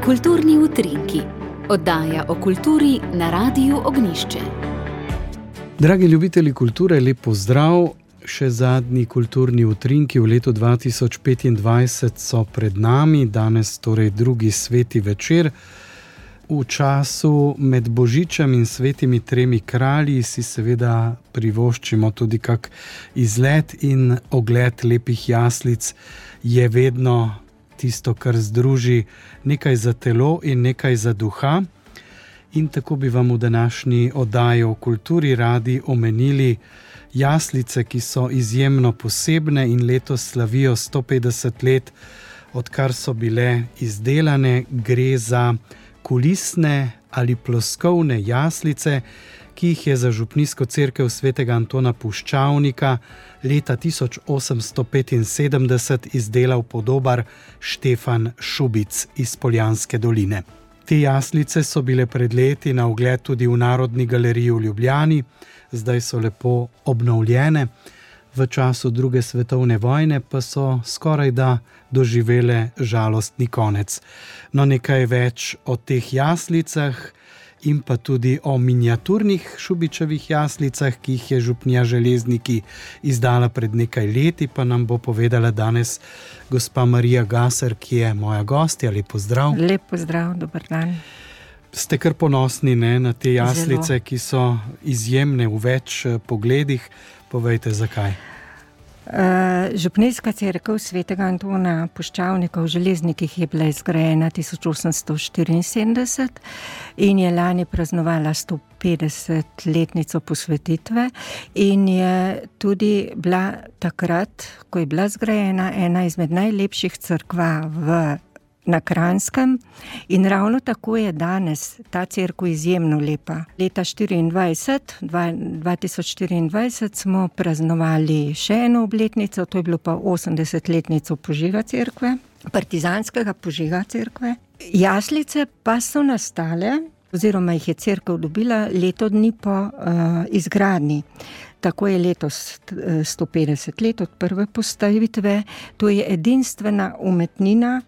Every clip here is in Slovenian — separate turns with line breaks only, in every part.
Kulturni utrinki, oddaja o kulturi na Radiu Ognjišče.
Dragi ljubitelji kulture, lep pozdrav. Še zadnji kulturni utrinki v letu 2025 so pred nami, danes torej drugi sveti večer. V času med Božičem in svetimi tremi kralji si seveda privoščimo tudi kak izlet in ogled lepih jaslic je vedno tisto, kar združi nekaj za telo in nekaj za duha. In tako bi vam v današnji oddaji o kulturi radi omenili jaslice, ki so izjemno posebne in letos slavijo 150 let, odkar so bile izdelane. Gre za kulisne ali ploskovne jaslice, ki jih je za župnijsko cerkev svetega Antona Puščavnika leta 1875 izdelal podobar Štefan Šubic iz Poljanske doline. Te jaslice so bile pred leti na ogled tudi v Narodni galeriji v Ljubljani, zdaj so lepo obnovljene. V času druge svetovne vojne pa so skorajda doživele žalostni konec. No, nekaj več o teh jaslicah in pa tudi o miniaturnih Šubičevih jaslicah, ki jih je župnija Železniki izdala pred nekaj leti, pa nam bo povedala danes gospa Marija Gaser, ki je moja gostja. Lep pozdrav.
Lep pozdrav, dober dan.
Ste kar ponosni, ne, na te jaslice,
Zelo.
Ki so izjemne v več pogledih. Povejte, zakaj?
Župnijska cerkev svetega Antona Puščavnika v Železnikih je bila izgrajena 1874 in je lani praznovala 150-letnico posvetitve in je tudi bila takrat, ko je bila zgrajena, ena izmed najlepših cerkva na Kranjskem in ravno tako je danes ta cerkev izjemno lepa. Leta 2024 smo praznovali še eno obletnico, to je bilo pa 80-letnico požiga cerkve, partizanskega požiga cerkve. Jaslice pa so nastale, oziroma jih je cerkev dobila leto dni po izgradnji. Tako je letos 150 let od prve postavitve. To je edinstvena umetnina,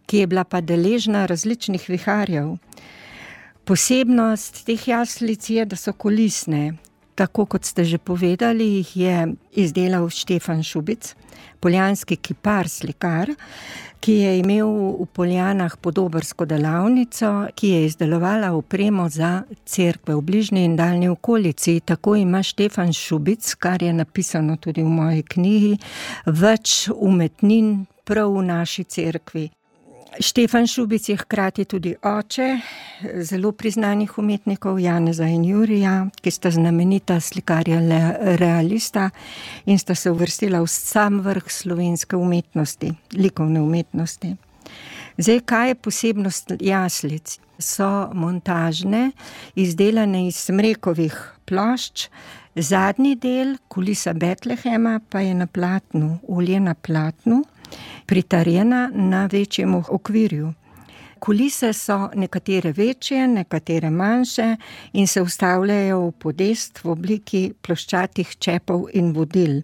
ki je bila pa deležna različnih viharjev. Posebnost teh jaslic je, da so kulisne. Tako kot ste že povedali, jih je izdelal Štefan Šubic, poljanski kipar, slikar, ki je imel v Poljanah podobarsko delavnico, ki je izdelovala opremo za cerkve v bližnji in daljni okolici. Tako ima Štefan Šubic, kar je napisano tudi v moji knjigi, več umetnin prav v naši cerkvi. Štefan Šubic je hkrati tudi oče zelo priznanih umetnikov Janeza in Jurija, ki sta znamenita slikarja realista in sta se uvrstila v sam vrh slovenske umetnosti, likovne umetnosti. Zdaj, kaj je posebnost jaslic? So montažne, izdelane iz smrekovih plošč, zadnji del, kulisa Betlehema, pa je na platnu, olje na platnu, pritarjena na večjem okvirju. Kulise so nekatere večje, nekatere manjše in se vstavljajo v podest v obliki ploščatih čepov in vodil.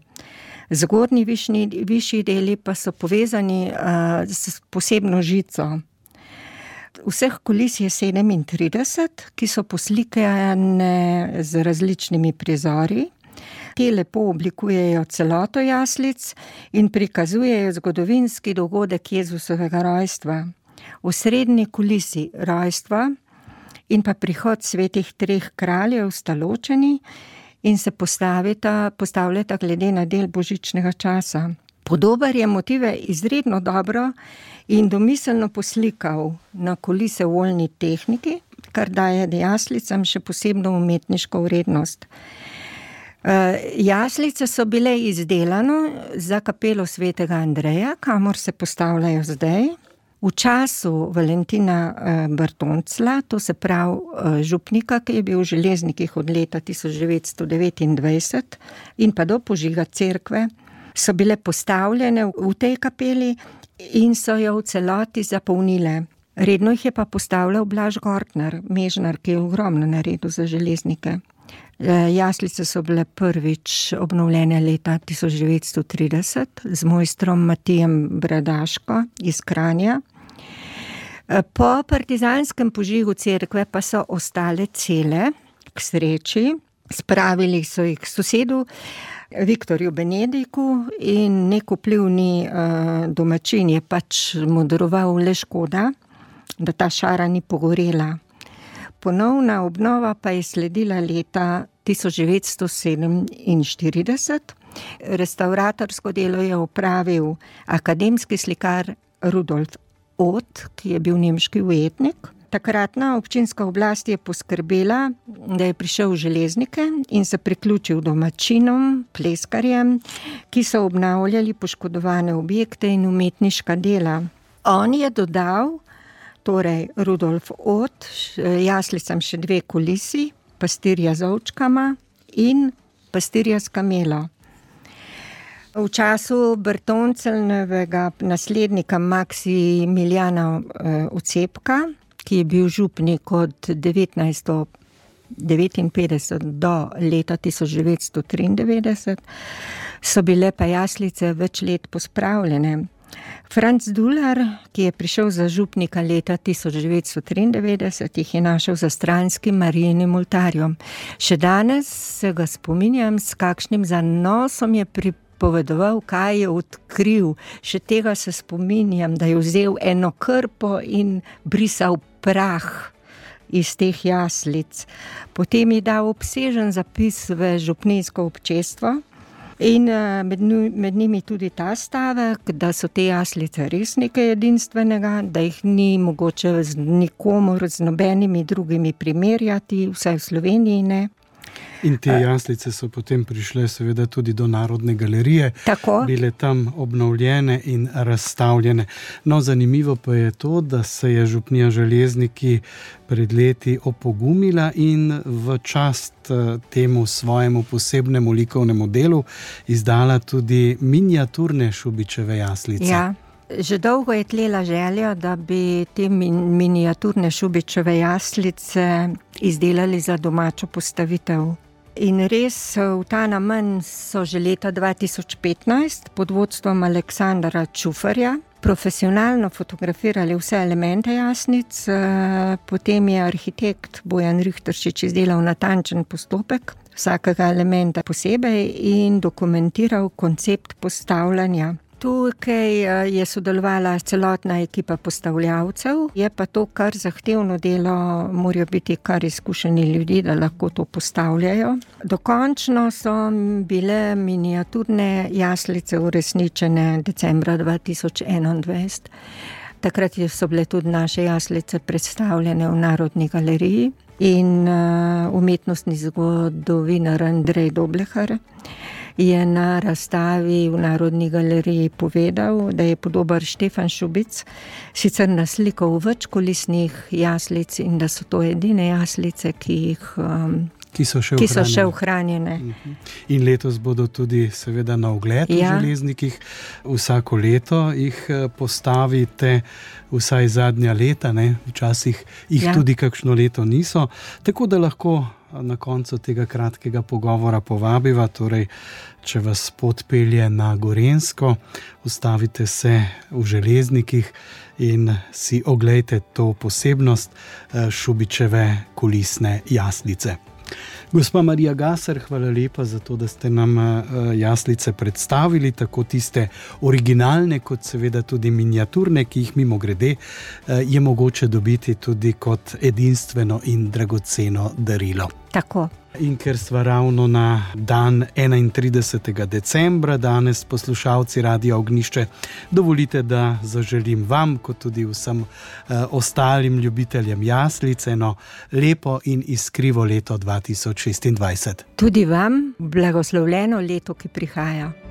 Zgornji višji deli pa so povezani s posebno žico. Vseh kulis je 37, ki so poslikane z različnimi prizori. Te lepo oblikujejo celoto jaslic in prikazujejo zgodovinski dogodek Jezusovega rojstva. V srednji kulisi rojstva in pa prihod svetih treh kraljev sta ločeni in se postavljata glede na del božičnega časa. Podobar je motive izredno dobro in domiselno poslikal na kulise v oljni tehniki, kar daje jaslicam še posebno umetniško vrednost. Jaslice so bile izdelane za kapelo svetega Andreja, kamor se postavljajo zdaj. V času Valentina Bartoncla, to se pravi župnika, ki je bil v Železnikih od leta 1929 in pa do požiga cerkve, so bile postavljene v tej kapeli in so jo v celoti zapolnile. Redno jih je pa postavljal Blaž Gortner, mežnar, ki je ogromno naredil za Železnike. Jaslice so bile prvič obnovljene leta 1930 z mojstrom Matijem Bradaško iz Kranja. Po partizanskem požigu cerkve pa so ostale cele, k sreči. Spravili so jih k sosedu Viktorju Benediku in nek vplivni domačin je pač modroval le škoda, da ta šara ni pogorela. Ponovna obnova pa je sledila leta 1947. Restavratorsko delo je opravil akademski slikar Rudolf Ott, ki je bil nemški ujetnik. Takratna občinska oblast je poskrbela, da je prišel v Železnike in se priključil domačinom, pleskarjem, ki so obnavljali poškodovane objekte in umetniška dela. On je dodal, torej Rudolf Ott, jaslicam še 2 kulisi, pastirja z ovčkama in pastirja s kamelo. V času Bertonceljevega naslednika Maksimiljana Ocepka, ki je bil župnik od 1959 do leta 1993, so bile pa jaslice več let pospravljene. Franc Dular, ki je prišel za župnika leta 1993, jih je našel za stranskim Marijinim oltarjem. Še danes se ga spominjam, s kakšnim zanosom je pripovedoval, kaj je odkril. Še tega se spominjam, da je vzel eno krpo in brisal prah iz teh jaslic. Potem je dal obsežen zapis v župnijsko občestvo in med njimi tudi ta stavek, da so te jaslice res nekaj edinstvenega, da jih ni mogoče z nikomor, z nobenimi drugimi primerjati, vsaj v Sloveniji ne.
In te jaslice so potem prišle seveda tudi do Narodne galerije,
Tako.
Bile tam obnovljene in razstavljene. No, zanimivo pa je to, da se je župnija Železniki pred leti opogumila in v čast temu svojemu posebnemu likovnemu delu izdala tudi miniaturne Šubičeve jaslice.
Ja. Že dolgo je tlela želja, da bi te miniaturne Šubičeve jaslice izdelali za domačo postavitev. In res v ta namen so že leta 2015 pod vodstvom Aleksandra Čufarja profesionalno fotografirali vse elemente jaslic, potem je arhitekt Bojan Rihteršič izdelal natančen postopek vsakega elementa posebej in dokumentiral koncept postavljanja. Tukaj je sodelovala celotna ekipa postavljavcev, je pa to kar zahtevno delo, morajo biti kar izkušeni ljudi, da lahko to postavljajo. Dokončno so bile miniaturne jaslice uresničene decembra 2021. Takrat so bile tudi naše jaslice predstavljene v Narodni galeriji in umetnostni zgodovinar Andrej Doblehar je na razstavi v Narodni galeriji povedal, da je podobar Štefan Šubic sicer naslikal več kulisnih jaslic in da so to edine jaslice, ki so še ohranjene.
In letos bodo tudi seveda na ogled v Železnikih. Vsako leto jih postavite, vsaj zadnja leta, ne? Včasih jih tudi kakšno leto niso, tako da lahko na koncu tega kratkega pogovora povabiva, torej, če vas pot pelje na Gorenjsko, ustavite se v Železnikih in si oglejte to posebnost Šubičeve kulisne jaslice. Gospa Marija Gasar, hvala lepa za to, da ste nam jaslice predstavili, tako tiste originalne, kot seveda tudi miniaturne, ki jih mimogrede je mogoče dobiti tudi kot edinstveno in dragoceno darilo.
Tako.
In ker sva ravno na dan 31. decembra, danes poslušalci Radia Ognjišče, dovolite, da zaželim vam, kot tudi vsem ostalim ljubiteljem jaslic, eno lepo in iskrivo leto 2026.
Tudi vam blagoslovljeno leto, ki prihaja.